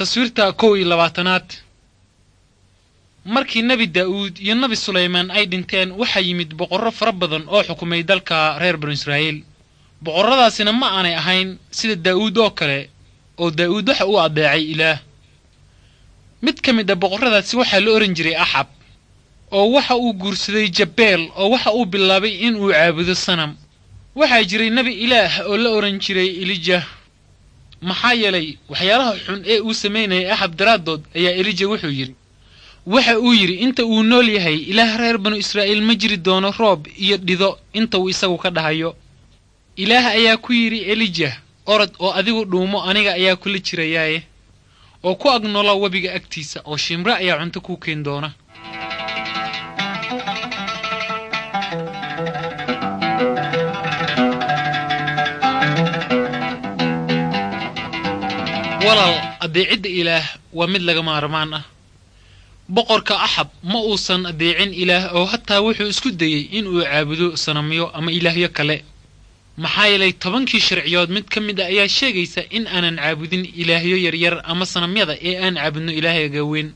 Taswiirta 21aad. Markii Nebi Daa'uud iyo Nebi Sulaymaan ay dhinteen, waxaa yimid boqorro fara badan oo xukumay dalka reer Banu Israa'iil. Boqorradaasina ma aanay ahayn sida Daa'uud oo kale, oo Daa'uud waxa uu addeecay Ilaah. Mid ka mid a boqorradaasi waxaa la ohan jiray Axab, oo waxa uu guursaday Jabeel, oo waxa uu bilaabay in uu caabudo sanam. Waxaa jiray nebi Ilaah oo la odhan jiray Elijah. Maxaa yeelay waxyaalaha xun ee uu samaynayay Axab daraaddood ayaa Elija wuxuu yidhi, waxa uu yidhi, inta uu nool yahay Ilaah reer Banu Israa'iil ma jiri doono roob iyo dhido inta uu isagu ka dhahayo. Ilaah ayaa ku yidhi Elijah, orod oo adigu dhuumo, aniga ayaa kula jirayaaye, oo ku ag noola webiga agtiisa, oo shimre ayaa cunto kuu keen doona. Walaal, addeecidda Ilaah waa mid laga maarmaan ah. Boqorka Axab ma uusan addeecin Ilaah, oo hataa wuxuu isku dayey in uu caabudo sanamyo ama ilaahyo kale. Maxaa yeelay 10kii sharciyood mid ka mid a ayaa sheegaysa in aanan caabudin ilaahyo yaryar ama sanamyada, ee aan caabudno Ilaahayga weyn.